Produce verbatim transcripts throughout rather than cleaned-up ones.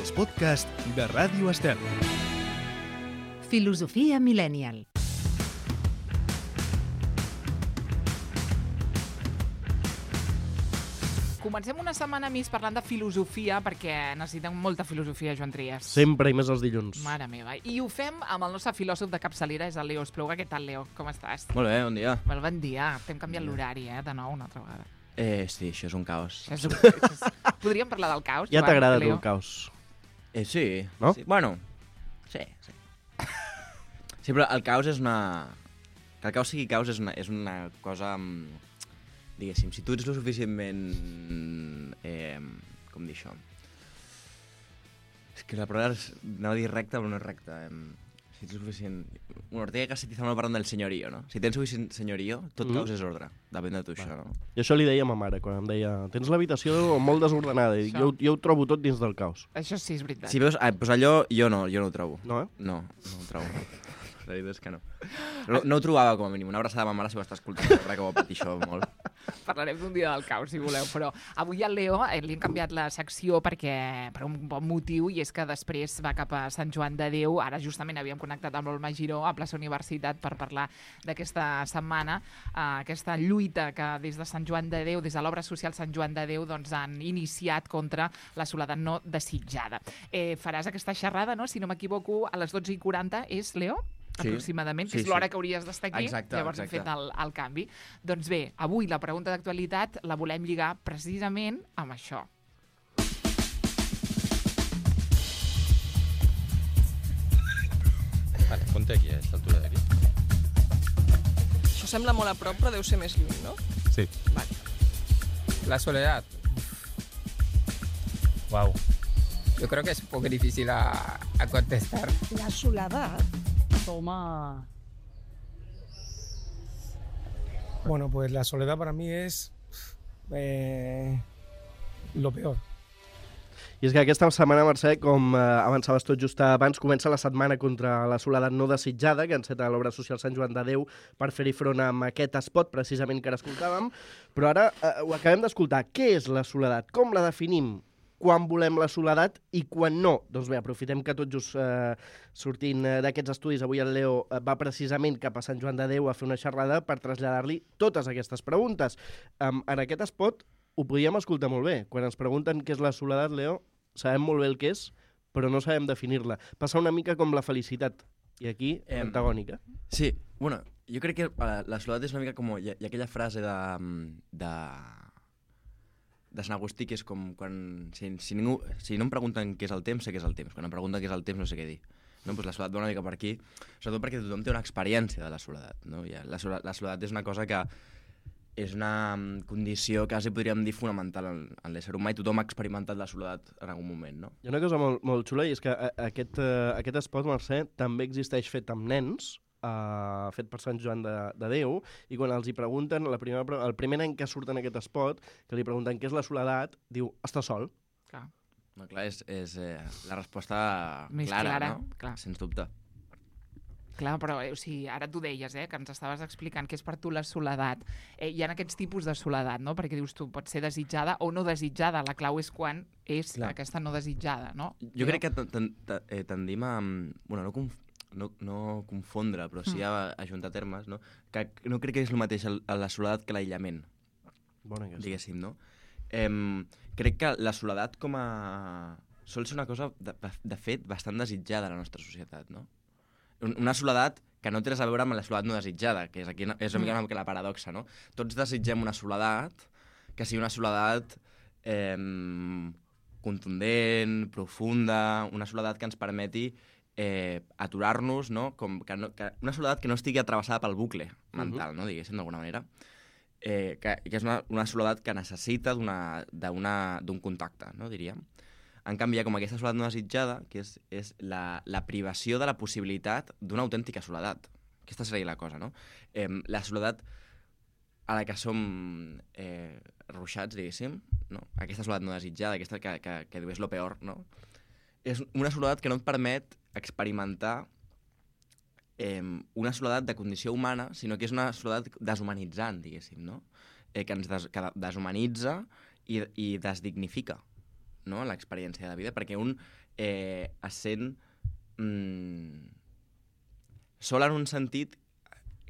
els podcasts de Ràdio Estel. Filosofia Millennial. Comencem una setmana més parlant de filosofia, perquè necessitem molta filosofia, Joan Trias. Sempre i més els dilluns. Mare meva. I ho fem amb el nostre filòsof de capçalera, és el Leo Espluga. Què tal, Leo? Com estàs? Molt bé, bon dia. Molt bon dia. T'hem canviat l'horari, eh, de nou, una altra vegada. Eh, sí, això és un caos. Això és un... això és... Podríem parlar del caos, Ja Joan, t'agrada tu Leo? el caos. Eh, sí. No? Sí. Bueno, sí, sí. Sí, però el caos és una... Que el caos sigui caos és una, és una cosa... mm, Diguéssim, si tu ets lo suficientment... Eh, com dir això? És que la paraula és... Anava a dir recta, però no és recta. Eh, si ets lo suficient... Bueno, Ortega y Gasset estava parlant del senyorío, no? Si tens suficient senyorío, tot Mm. caos és ordre. Depèn de tu, això, no? I això li deia a ma mare, quan em deia tens l'habitació molt desordenada. I dic, jo, jo ho trobo tot dins del caos. Això sí, és veritat. Si veus... Ah, doncs allò jo no, jo no ho trobo. No, eh? No, no ho trobo. La veritat és que no. No, no ho trobava, com a mínim. Una abraçada a ma mare si ho està escoltant, perquè que ho va patir això molt. Parlarem d'un dia del caos, si voleu, però avui al Leo eh, li hem canviat la secció perquè per un bon motiu, i és que després va cap a Sant Joan de Déu. Ara justament havíem connectat amb l'Olma Giró a Plaça Universitat per parlar d'aquesta setmana, eh, aquesta lluita que des de Sant Joan de Déu, des de l'obra social Sant Joan de Déu, doncs han iniciat contra la soledat no desitjada. Eh, faràs aquesta xerrada, no? Si no m'equivoco, a les dotze i quaranta, és, Leo? Sí. Aproximadament, que Sí, és l'hora sí. que hauries d'estar aquí, Exacte, llavors exacte. hem fet el, el canvi. Doncs bé, avui la pregunta d'actualitat la volem lligar precisament amb això. Vale, ponte aquí, a esta altura d'aquí. Això sembla molt a prop, però deu ser més lluny, no? Sí. Vale. La soledad. Wow. Yo creo que es un poco difícil a, a contestar. La soledad. Toma. Bueno, pues la soledad para mí es eh, lo peor. I és que aquesta setmana, Mercè, com eh, avançaves tot just abans, comença la setmana contra la soledat no desitjada, que enceta l'obra social Sant Joan de Déu per fer-hi front amb aquest espot, precisament, que ara escoltàvem. Però ara eh, ho acabem d'escoltar. Què és la soledat? Com la definim? Quan volem la soledat i quan no? Doncs bé, aprofitem que tot just eh, sortint eh, d'aquests estudis, avui el Leo eh, va precisament cap a Sant Joan de Déu a fer una xerrada per traslladar-li totes aquestes preguntes. Um, en aquest espot ho podíem escoltar molt bé. Quan ens pregunten què és la soledat, Leo, sabem molt bé el que és, però no sabem definir-la. Passa una mica com la felicitat. I aquí, Em, antagònica. Sí, bueno, jo crec que uh, la soledat és una mica com... Hi ha, hi ha aquella frase de... de de Sant Agustí, que és com quan... Si, si, ningú, si no em pregunten què és el temps, sé què és el temps. Quan em pregunten què és el temps, no sé què dir. No, doncs la soledat va una mica per aquí, sobretot perquè tothom té una experiència de la soledat. No? I la, soledat, la soledat és una cosa que és una condició quasi podríem dir fonamental en, en l'ésser humà, i tothom ha experimentat la soledat en algun moment, no? Hi ha una cosa molt, molt xula, i és que a, aquest, uh, aquest espot, Mercè, també existeix fet amb nens, Uh, fet per Sant Joan de, de Déu, i quan els hi pregunten, la primera, el primer any que surt en aquest espot, que li pregunten què és la soledat, diu, està sol. Clar. No, clar, és, és eh, la resposta Més clara, clara, no? clar. Sens dubte. Clar, però eh, o sigui, ara tu deies, eh, que ens estaves explicant què és per tu la soledat. Eh, hi ha aquests tipus de soledat, no? Perquè dius tu, pot ser desitjada o no desitjada. La clau és quan és Clar. aquesta no desitjada, no? Jo crec que ten- ten- ten- eh, tendim a... Bueno, no, conf no, no confondre, però sí a ajuntar termes, no? Que no crec que és el mateix el, la soledat que l'aïllament, Bona aquesta. diguéssim, no? Eh, crec que la soledat com a... sol ser una cosa, de, de fet, bastant desitjada a la nostra societat, no? Una soledat que no té res a veure amb la soledat no desitjada, que és, aquí, és una mica, una mica la paradoxa, no? Tots desitgem una soledat que sigui una soledat eh, contundent, profunda, una soledat que ens permeti eh, aturar-nos, no? Com que no, que una soledat que no estigui atravessada pel bucle mental, no? Diguéssim, d'alguna manera. Eh, que, que és una, una soledat que necessita d'un contacte, no? Diríem. En canvi, hi ha com aquesta soledat no desitjada, que és, és la, la privació de la possibilitat d'una autèntica soledat. Aquesta seria la cosa, no? Eh, la soledat a la que som eh, ruixats, diguéssim, no? Aquesta soledat no desitjada, aquesta que, que, que diu és lo peor, no? És una soledat que no et permet experimentar eh, una soledat de condició humana, sinó que és una soledat deshumanitzant, diguéssim, no? Eh, que ens des, que deshumanitza i, i desdignifica. no?, l'experiència de vida, perquè un eh, es sent mm, sol en un sentit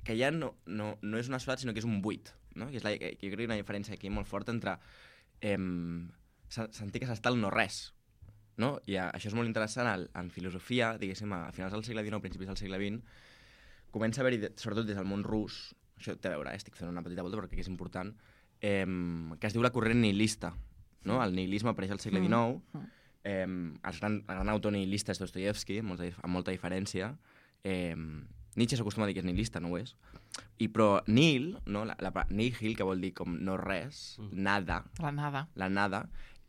que ja no, no, no és una soledat, sinó que és un buit, no? I és la, jo crec que hi ha una diferència aquí molt forta entre eh, sentir que s'està al no-res, no? I a, això és molt interessant en, en filosofia, diguéssim, a finals del segle dinou, principis del segle vint, comença a haver-hi, sobretot des del món rus, això té a veure, eh? Estic fent una petita volta perquè és important, eh, que es diu la corrent nihilista, no? El nihilisme apareix al segle dinou, eh, el, gran, el gran autor nihilista és Dostoyevsky, amb molta, amb molta diferència. Eh, Nietzsche s'acostuma a dir que és nihilista, no ho és. I, però nihil, no? la, la, nihil, que vol dir com no res, mm. nada, la nada, la nada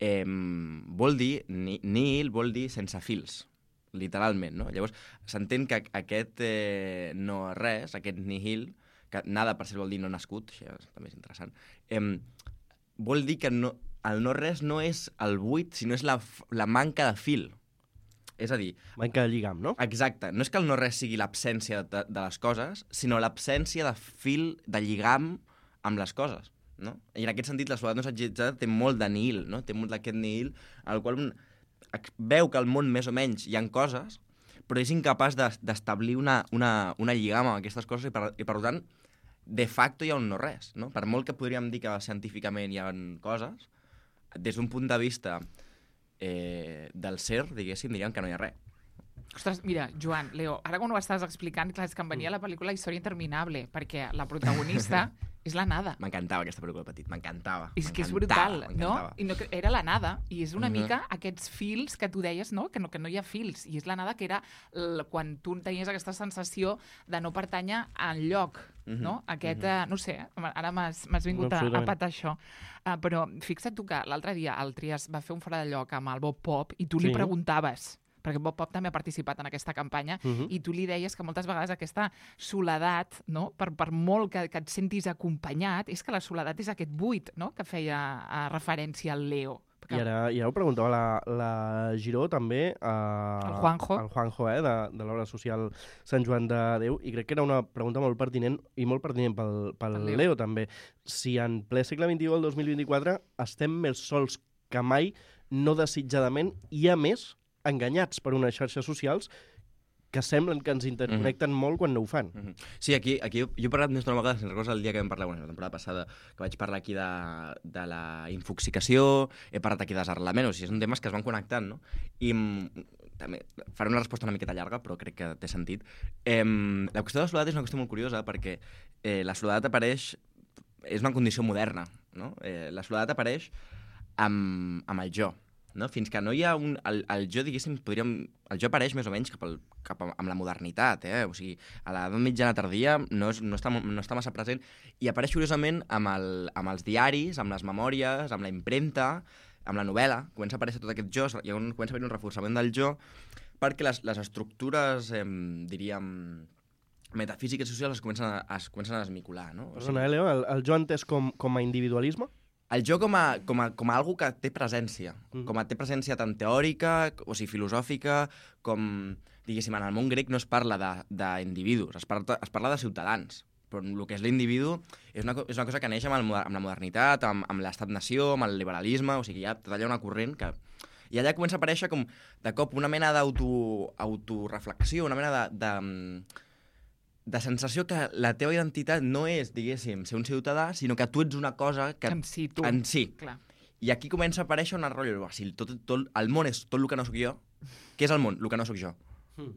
eh, vol dir, ni, nihil vol dir sense fils, literalment, no? Llavors, s'entén que aquest eh, no res, aquest nihil, que nada per ser vol dir no nascut, això també és interessant, eh, vol dir que no, el no res no és el buit, sinó és la, la manca de fil. És a dir... Manca de lligam, no? Exacte. No és que el no res sigui l'absència de, de les coses, sinó l'absència de fil, de lligam amb les coses, no? I en aquest sentit la soledat no satgitzada té molt de nihil, no? Té molt d'aquest nihil, al qual un veu que al món més o menys hi ha coses, però és incapaç d'establir una, una, una lligam amb aquestes coses i per, i per tant, de facto hi ha un no res, no? Per molt que podríem dir que científicament hi ha coses, des d'un punt de vista eh, del ser, diguéssim, diríem que no hi ha res. Ostres, mira, Joan, Leo, ara quan ho estàs explicant, clar, és que em venia a la pel·lícula Història interminable, perquè la protagonista és la nada. M'encantava aquesta pel·lícula petit, m'encantava. És que és brutal, no? I no, era la nada, i és una Mhm. mica aquests fils que tu deies, no? Que, no? que no hi ha fils, i és la nada que era l- quan tu tenies aquesta sensació de no pertànyer enlloc, Mhm. no? Aquest, Mhm. eh, no sé, ara m'has m'has vingut No, a, a absolutament. patar això. Uh, però fixa't tu que l'altre dia el Trias va fer un fora de lloc amb el Bob Pop i tu li Sí. preguntaves, perquè Bob Pop també ha participat en aquesta campanya, Mhm. i tu li deies que moltes vegades aquesta soledat, no? per, per molt que, que et sentis acompanyat, és que la soledat és aquest buit, no? Que feia a referència al Leo. I ara, i ara ho preguntava la, la Giró, també, eh, El Juanjo. el Juanjo, eh, de, de l'obra social Sant Joan de Déu, i crec que era una pregunta molt pertinent, i molt pertinent pel, pel Pel Leo. Leo, també. Si en ple segle vint-i-u, el dos mil vint-i-quatre, estem més sols que mai, no desitjadament, i a més, enganyats per unes xarxes socials que semblen que ens interconnecten mm. molt quan no ho fan. Mm -hmm. Sí, aquí, aquí jo, jo he parlat més d'una vegada, si recordes el dia que vam parlar, bueno, la temporada passada, que vaig parlar aquí de, de la infoxicació, he parlat aquí de desarrelament, o sigui, són temes que es van connectant, no? I mm, també faré una resposta una miqueta llarga, però crec que té sentit. Eh, la qüestió de la soledat és una qüestió molt curiosa, perquè eh, la soledat apareix, és una condició moderna, no? Eh, la soledat apareix amb, amb el jo, no? Fins que no hi ha un... El, el jo, diguéssim, podríem... El jo apareix més o menys cap, al, cap a, amb la modernitat, eh? O sigui, a l'edat mitjana tardia no, és, no, està, no està massa present i apareix curiosament amb, el, amb els diaris, amb les memòries, amb la impremta, amb la novel·la. Comença a aparèixer tot aquest jo, hi ha un, comença a haver un reforçament del jo, perquè les, les estructures, eh, diríem, metafísiques i socials es comencen a, es comencen a desmicular, no? O Perdona, eh, Leo, el, el jo entès com, com a individualisme? El jo com a, com a, com a algo que té presència, Mhm. com a té presència tant teòrica, o sigui, filosòfica, com, diguéssim, en el món grec no es parla d'individus, es, parla, es parla de ciutadans, però el que és l'individu és una, és una cosa que neix amb, el, moder- amb la modernitat, amb, amb l'estat-nació, amb el liberalisme, o sigui, hi ha tot allà una corrent que... I allà comença a aparèixer com, de cop, una mena d'auto- autoreflexió, una mena de... de de sensació que la teva identitat no és, diguéssim, ser un ciutadà, sinó que tu ets una cosa que... En si tu. En si. Clar. I aquí comença a aparèixer un rotllo, si tot, tot, el món és tot el que no sóc jo, què és el món? El que no sóc jo. Mm.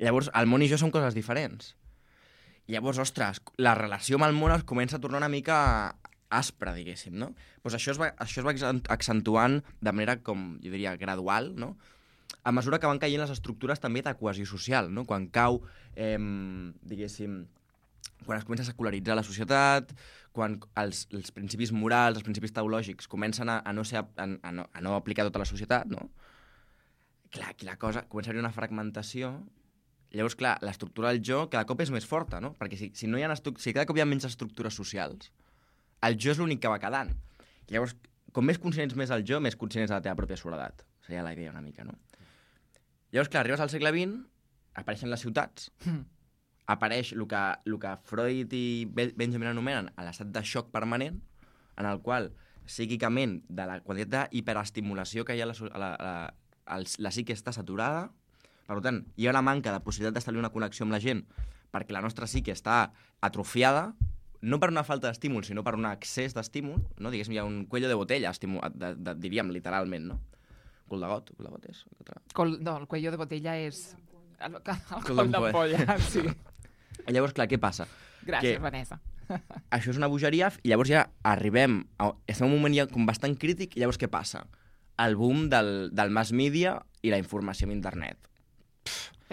Llavors, el món i jo són coses diferents. I llavors, ostres, la relació amb el món es comença a tornar una mica aspra, diguéssim, no? Pues això es va, això es va accent- accentuant de manera, com jo diria, gradual, no? A mesura que van caient les estructures també de cohesió social, no? Quan cau, eh, diguéssim, quan es comença a secularitzar la societat, quan els, els principis morals, els principis teològics comencen a, a, no, ser, a, a, no, a no aplicar a tota la societat, no? Clar, aquí la cosa comença a haver una fragmentació. Llavors, clar, l'estructura del jo cada cop és més forta, no? Perquè si, si, no hi ha si cada cop hi ha menys estructures socials, el jo és l'únic que va quedant. Llavors, com més conscient ets més del jo, més conscient ets de la teva pròpia soledat. Seria la idea una mica, no? Llavors, clar, arribes al segle vint, apareixen les ciutats, Mm. apareix el que, el que Freud i Be- Benjamin anomenen l'estat de xoc permanent, en el qual psíquicament de la quantitat d'hiperestimulació que hi ha a la, a la, a la, el, la psique està saturada, per tant, hi ha una manca de possibilitat d'establir una connexió amb la gent perquè la nostra psique està atrofiada, no per una falta d'estímul, sinó per un excés d'estímul, no? Diguéssim, hi ha un cuello de botella, estímul, de, de, diríem, literalment, no? Cul de got, cul de got és? Col, no, el cuello de botella és... El, el, el cul d'ampolla, sí. I llavors, clar, què passa? Gràcies, que Vanessa. Això és una bogeria, i llavors ja arribem, a, estem en un moment ja com bastant crític, i llavors què passa? El boom del, del mass media i la informació en internet.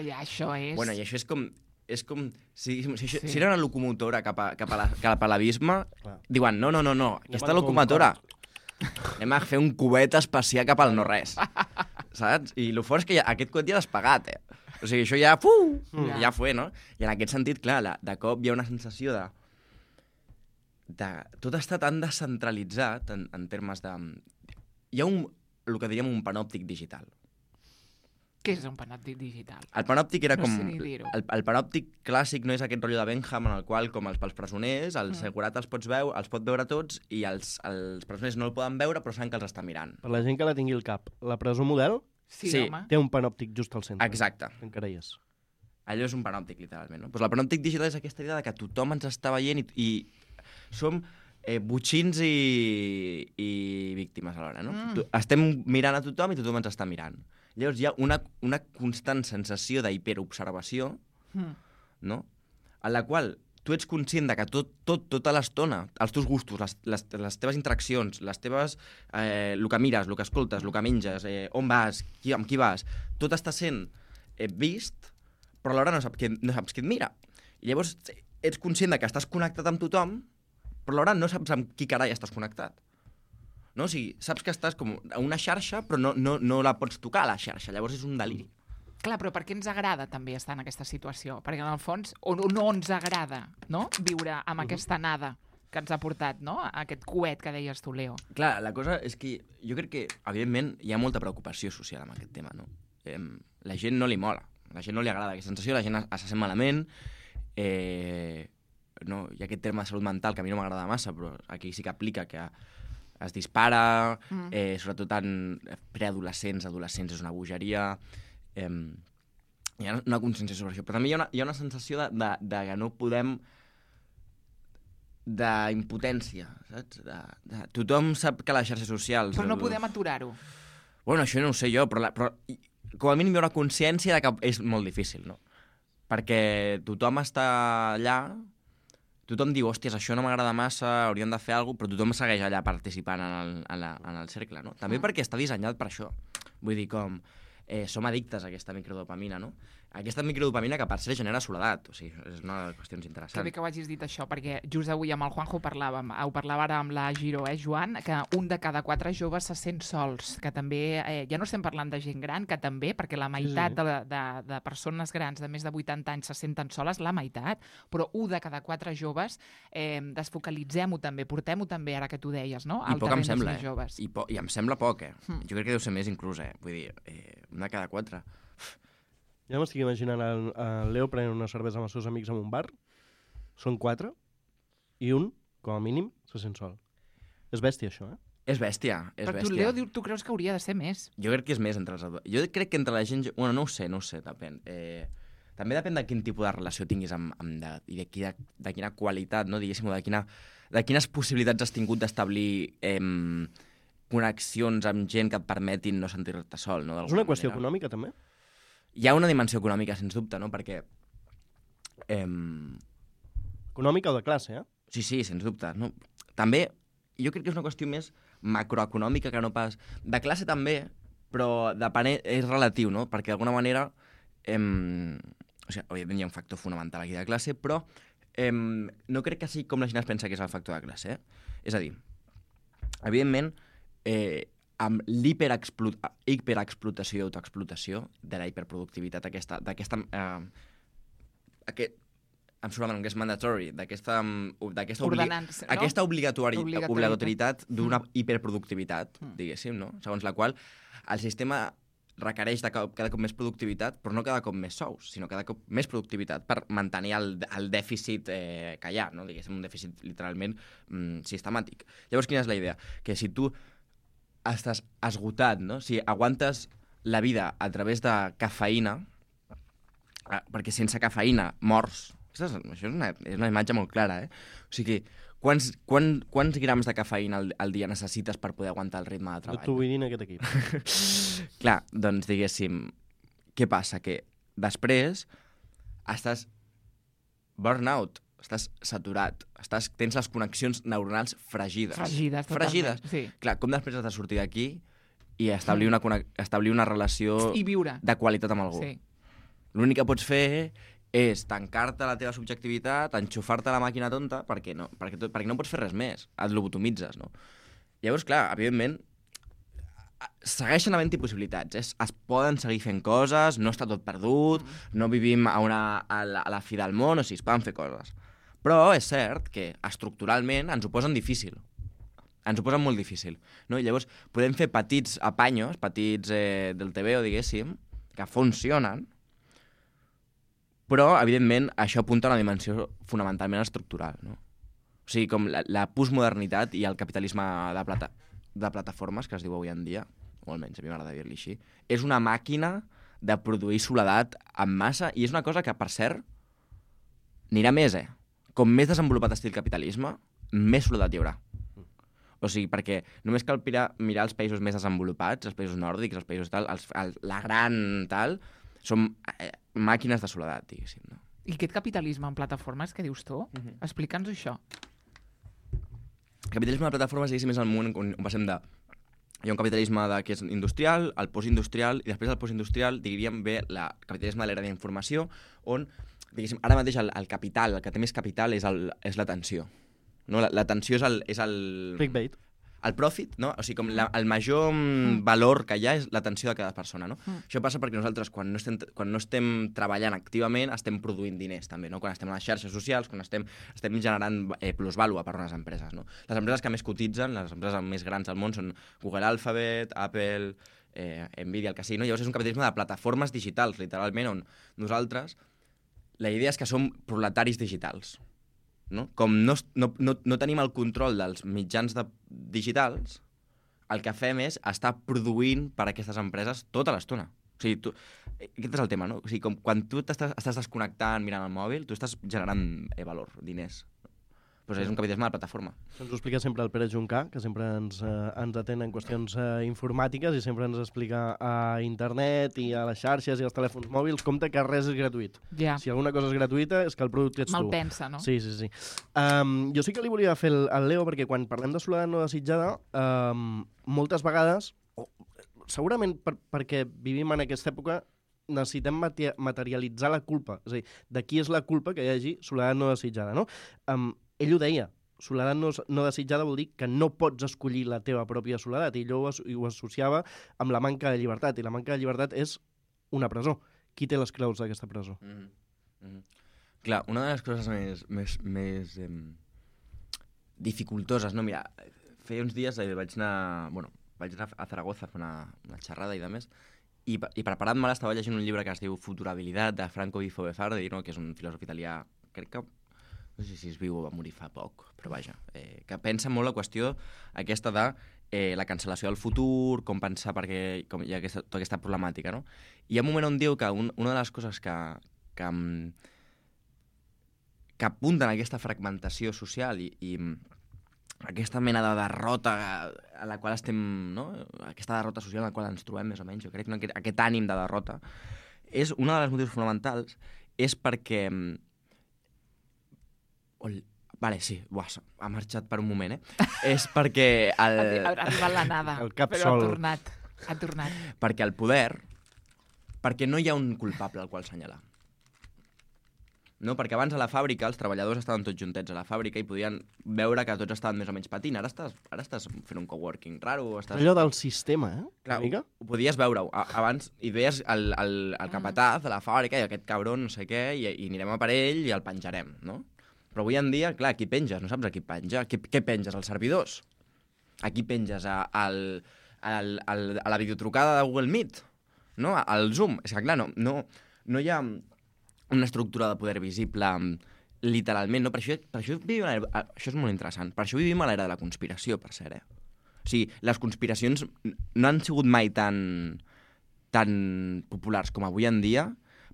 Ja, això és... Bueno, i això és com... És com si, si, si, Sí. si era una locomotora cap a, cap a la- cap a l'abisme, Clar. diuen, no, no, no, no, aquesta Anem al locomotora, anem a fer un cubet espacial cap al no-res, saps? I el fort és que ja, aquest coet ja l'has pagat, eh? O sigui, això ja, fuh, Ja. ja fue, no? I en aquest sentit, clar, la, de cop hi ha una sensació de... de tot està tan descentralitzat en, en termes de... Hi ha un, el que diríem un panòptic digital. Què és un panòptic digital? El panòptic era No com... sé ni dir-ho. el, el panòptic clàssic no és aquest rotllo de Benham en el qual, com els pels presoners, el Mm. segurat els, pots veu, els pot veure tots i els, els presoners no el poden veure però saben que els està mirant. Per la gent que la tingui al cap, la presó model Sí, Sí. home. té un panòptic just al centre. Exacte. Encara hi és. Allò és un panòptic, literalment. No? Pues el panòptic digital és aquesta idea de que tothom ens està veient i, i som eh, botxins i, i víctimes alhora. No? Mm. Tu- Estem mirant a tothom i tothom ens està mirant. Llavors hi ha una, una constant sensació d'hiperobservació, Mm. no? En la qual tu ets conscient de que tot, tot, tota l'estona, els teus gustos, les, les, les teves interaccions, les teves, eh, el que mires, el que escoltes, el que menges, eh, on vas, qui, amb qui vas, tot està sent eh, vist, però alhora no saps, qui, no saps qui et mira. I llavors ets conscient de que estàs connectat amb tothom, però alhora no saps amb qui carai estàs connectat. No? O sigui, saps que estàs com a una xarxa, però no, no, no la pots tocar, la xarxa. Llavors és un deliri. Clar, però per què ens agrada també estar en aquesta situació? Perquè en el fons, o no, no ens agrada, no?, viure amb aquesta nada que ens ha portat, no?, aquest coet que deies tu, Leo. Clar, la cosa és que jo crec que, evidentment, hi ha molta preocupació social amb aquest tema, no? Eh, la gent no li mola, la gent no li agrada aquesta sensació, la gent es sent malament, eh, no? Hi ha aquest terme de salut mental que a mi no m'agrada massa, però aquí sí que aplica que es dispara, Mm. eh, sobretot en preadolescents, adolescents, és una bogeria... Eh, hi ha una consciència sobre això, però també hi ha una, hi ha una sensació de, de, de que no podem d'impotència, saps? De, de, tothom sap que les xarxes socials... Però no el- podem aturar-ho. Bueno, això no ho sé jo, però, la, però i- com a mínim hi ha una consciència de que és molt difícil, no? Perquè tothom està allà, tothom diu, hòsties, això no m'agrada massa, hauríem de fer alguna cosa, però tothom segueix allà participant en el, en la, en el cercle, no? També Mm. perquè està dissenyat per això. Vull dir, com... Eh, som addictes a aquesta microdopamina, no? Aquesta microdopamina que per cert genera soledat, o sigui, és una de les qüestions Que interessants. bé que ho hagis dit això, perquè just avui amb el Juanjo parlàvem, ho parlava ara amb la Giro, eh, Joan, que un de cada quatre joves se sent sols, que també, eh, ja no estem parlant de gent gran, que també, perquè la meitat sí. de, de, de persones grans de més de vuitanta anys se senten soles, la meitat, però un de cada quatre joves, eh, desfocalitzem-ho també, portem-ho també, ara que tu deies, no? I al poc em terreny dels sembla, més eh? joves. I, po I em sembla poc, eh? Mm. Jo crec que deu ser més inclús, eh? Vull dir, eh, una de cada quatre. Ja m'estic imaginant el, el Leo prenent una cervesa amb els seus amics en un bar. Són quatre i un, com a mínim, se sent sol. És bèstia, això, eh? És bèstia, és Però tu, bèstia. Leo, diu- tu creus que hauria de ser més? Jo crec que és més entre els adults. Jo crec que entre la gent... jo- Bueno, no ho sé, no ho sé, depèn. Eh, també depèn de quin tipus de relació tinguis amb, amb de, i de, quina, de quina qualitat, no? Diguéssim, o de, quina, de quines possibilitats has tingut d'establir eh, connexions amb gent que et permetin no sentir-te sol, no? És una qüestió manera. econòmica, també? Hi ha una dimensió econòmica, sens dubte, no? Perquè... Eh, Econòmica o de classe, eh? Sí, sí, sens dubte. No? També, jo crec que és una qüestió més macroeconòmica que no pas... De classe també, però depenent, és relatiu, no? Perquè d'alguna manera... Em... O sigui, òbviament hi ha un factor fonamental aquí de classe, però em... no crec que sigui com la gent es pensa que és el factor de classe. Eh? És a dir, evidentment, eh, amb l'hiperexplotació i autoexplotació de la hiperproductivitat aquesta... d'aquesta eh, aquest, em surt el nom, que és mandatory, d'aquesta d'aquesta obli Ordenança, no? aquesta obligatori Obligatorietat. obligatorietat d'una Mm. hiperproductivitat, Mm. diguéssim, no? Segons la qual el sistema requereix de cada, cada cop més productivitat, però no cada cop més sous, sinó cada cop més productivitat per mantenir el, el dèficit eh, que hi ha, no? Diguéssim, un dèficit literalment mm, sistemàtic. Llavors, quina és la idea? Que si tu estàs esgotat, no? Si aguantes la vida a través de cafeïna, eh, perquè sense cafeïna mors. Això és una, és una imatge molt clara, eh? O sigui, quants, quan, quants grams de cafeïna al, al dia necessites per poder aguantar el ritme de treball? No t'ho vull dir en aquest equip. Clar, doncs diguéssim, què passa? Que després estàs burnout, estàs saturat, estàs, tens les connexions neuronals fregides. Fregides, totalment. Fregides. Sí. Clar, com després has de sortir d'aquí i establir una, establir una relació I viure. de qualitat amb algú? Sí. L'únic que pots fer és tancar-te la teva subjectivitat, enxufar-te la màquina tonta, perquè no, perquè, tot, perquè no pots fer res més, et lobotomitzes, no? Llavors, clar, evidentment, segueixen havent-hi possibilitats, eh? Es poden seguir fent coses, no està tot perdut, no vivim a, una, a, la, a la fi del món, o sigui, es poden fer coses. Però és cert que estructuralment ens ho posen difícil. Ens ho posen molt difícil. No? I llavors podem fer petits apanyos, petits eh, del T V O, diguéssim, que funcionen, però, evidentment, això apunta a una dimensió fonamentalment estructural, no? O sigui, com la, la postmodernitat i el capitalisme de, plata, de plataformes, que es diu avui en dia, o almenys a mi m'agrada dir-li així, és una màquina de produir soledat en massa, i és una cosa que, per cert, anirà més, eh? Com més desenvolupat estil capitalisme, més soledat hi haurà. O sigui, perquè només cal mirar, mirar els països més desenvolupats, els països nòrdics, els països tal, els, el, la gran tal, són eh, màquines de soledat, diguéssim, no? I aquest capitalisme en plataformes, que dius tu? Uh-huh. Explica'ns això. El capitalisme de plataformes, diguéssim, és el moment on passem de... Hi ha un capitalisme de, que és industrial, el postindustrial, i després del postindustrial, diríem bé, el capitalisme de l'era d'informació, on, diguéssim, ara mateix el, el capital, el que té més capital és, el, és l'atenció. No? L'atenció és el... És el... Clickbait. El profit, no? O sigui, com la, el major mm. valor que hi ha és l'atenció de cada persona, no? Mm. Això passa perquè nosaltres, quan no, estem, quan no estem treballant activament, estem produint diners, també, no? Quan estem a les xarxes socials, quan estem, estem generant eh, plusvàlua per a unes empreses, no? Les empreses que més cotitzen, les empreses més grans del món són Google Alphabet, Apple, eh, Nvidia, el que sigui, no? Llavors és un capitalisme de plataformes digitals, literalment, on nosaltres, la idea és que som proletaris digitals. No? Com no, no, no, no tenim el control dels mitjans de, digitals, el que fem és estar produint per a aquestes empreses tota l'estona. O sigui, tu, aquest és el tema, no? O sigui, com quan tu estàs, estàs desconnectant mirant el mòbil, tu estàs generant eh, valor, diners. Pues és un capitalisme de plataforma. Això ens ho explica sempre el Pere Juncà, que sempre ens, eh, ens atén en qüestions eh, informàtiques i sempre ens explica a internet i a les xarxes i als telèfons mòbils, compte que res és gratuït. Ja. Si alguna cosa és gratuïta és que el producte ets tu. Malpensa, no? Sí, sí, sí. Um, jo sí que li volia fer el, el Leo, perquè quan parlem de soledat no desitjada, um, moltes vegades, oh, segurament per, perquè vivim en aquesta època, necessitem materialitzar la culpa. És a dir, de qui és la culpa que hi hagi soledat no desitjada, no? Um, ell ho deia, soledat no, no desitjada vol dir que no pots escollir la teva pròpia soledat, i ell ho, ho associava amb la manca de llibertat, i la manca de llibertat és una presó. Qui té les claus d'aquesta presó? Mm-hmm. Mm-hmm. Clar, una de les coses més, més, més eh, dificultoses, no? Mira, feia uns dies eh, vaig anar, bueno, vaig anar a Zaragoza a fer una, una xerrada i de més, i, i preparant-me estava llegint un llibre que es diu Futurabilitat, de Franco Bifo Beffardi, no? Que és un filòsof italià, crec que no sé si es viu o va morir fa poc, però vaja, eh, que pensa molt la qüestió aquesta de eh, la cancel·lació del futur, com pensar perquè com hi ha aquesta, tota aquesta problemàtica, no? I hi ha un moment on diu que un, una de les coses que, que, que apunten a aquesta fragmentació social i, i aquesta mena de derrota a la qual estem, no? Aquesta derrota social en la qual ens trobem més o menys, jo crec, no? aquest, aquest ànim de derrota, és una de les motius fonamentals és perquè Vale, sí, Buah, ha marxat per un moment, eh? És perquè... El... Ha arribat la nada, el cap però sol. ha tornat. Ha tornat. Perquè el poder... Perquè no hi ha un culpable al qual assenyalar. No? Perquè abans a la fàbrica els treballadors estaven tots juntets a la fàbrica i podien veure que tots estaven més o menys patint. Ara estàs, ara estàs fent un coworking raro. Estàs... Allò del sistema, eh? Clar, ho, ho podies veure abans i veies el, el, el capataz de la fàbrica i aquest cabron no sé què i, i anirem a per ell i el penjarem, no? Però avui en dia, clar, aquí penges, no saps a qui penja. Qui, què penges, als servidors? Aquí penges a, a, a, a, a la videotrucada de Google Meet? no? Al Zoom. És que, clar, no, no, no hi ha una estructura de poder visible literalment, no? Per això, per això vivim a l'era... Això és molt interessant. Per això vivim a l'era de la conspiració, per cert, eh? O sigui, les conspiracions no han sigut mai tan, tan populars com avui en dia,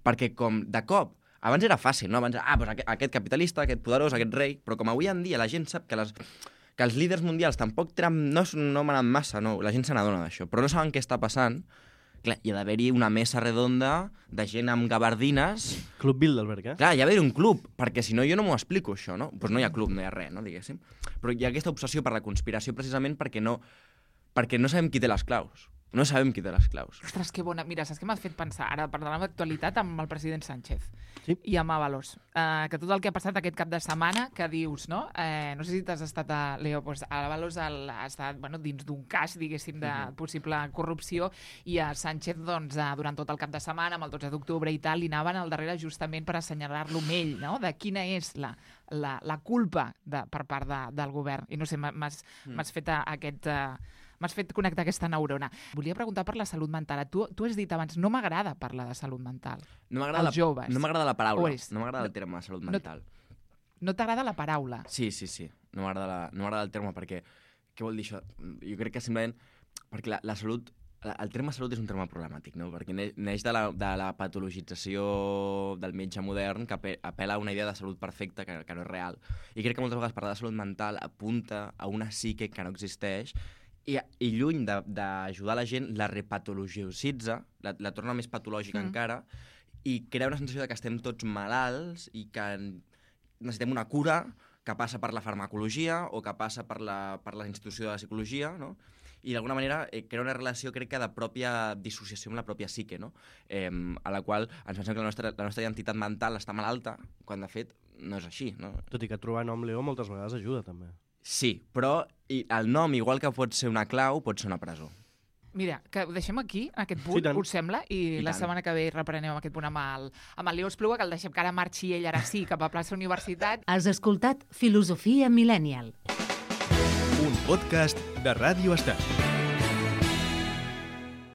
perquè com de cop, abans era fàcil, no? Abans era, ah, doncs aquest, aquest capitalista, aquest poderós, aquest rei, però com avui en dia la gent sap que, les, que els líders mundials tampoc tenen, no, no manen massa, no? La gent se n'adona d'això, però no saben què està passant. Clar, hi ha d'haver-hi una mesa redonda de gent amb gabardines. Club Bilderberg, eh? Clar, hi ha d'haver un club, perquè si no jo no m'ho explico, això, no? Doncs pues no hi ha club, no hi ha res, no, diguéssim. Però hi ha aquesta obsessió per la conspiració precisament perquè no, perquè no sabem qui té les claus. No sabem qui té les claus. Ostres, que bona. Mira, saps què m'ha fet pensar? Ara parlant d'actualitat amb el president Sánchez sí. i amb Ábalos. Uh, que tot el que ha passat aquest cap de setmana, que dius, no? Eh, no sé si t'has estat a Leo, doncs Ábalos el, ha estat bueno, dins d'un cas, diguéssim, de uh-huh. possible corrupció, i a Sánchez, doncs, uh, durant tot el cap de setmana, amb el dotze d'octubre i tal, li anaven al darrere justament per assenyalar-lo amb ell, no? De quina és la, la, la culpa de, per part de, del govern. I no sé, m'has mm. fet a, aquest... Uh, M'has fet connectar aquesta neurona. Volia preguntar per la salut mental. Tu, tu has dit abans, no m'agrada parlar de salut mental. No m'agrada la, joves. No m'agrada la paraula. No m'agrada el terme salut mental. No, no t'agrada la paraula? Sí, sí, sí. No m'agrada la, no m'agrada el terme perquè... Què vol dir això? Jo crec que simplement... Perquè la, la salut... El terme salut és un terme problemàtic, no? Perquè neix de la, de la patologització del metge modern que apel·la a una idea de salut perfecta que, que no és real. I crec que moltes vegades parlar de salut mental apunta a una psique que no existeix i, i lluny d'ajudar la gent, la repatologicitza, la, la torna més patològica mm. encara, i crea una sensació de que estem tots malalts i que necessitem una cura que passa per la farmacologia o que passa per la, per la institució de la psicologia, no? I d'alguna manera eh, crea una relació, crec que, de pròpia dissociació amb la pròpia psique, no? Eh, a la qual ens pensem que la nostra, la nostra identitat mental està malalta, quan de fet no és així, no? Tot i que trobar nom Leo moltes vegades ajuda, també. Sí, però i el nom, igual que pot ser una clau, pot ser una presó. Mira, que ho deixem aquí, en aquest punt, sí, us sembla? I, I la tant. setmana que ve reprenem aquest punt amb el, amb el Leo Espluga, que el deixem que ara marxi ell, ara sí, cap a plaça Universitat. Has escoltat Filosofia Millennial. Un podcast de Ràdio Estel.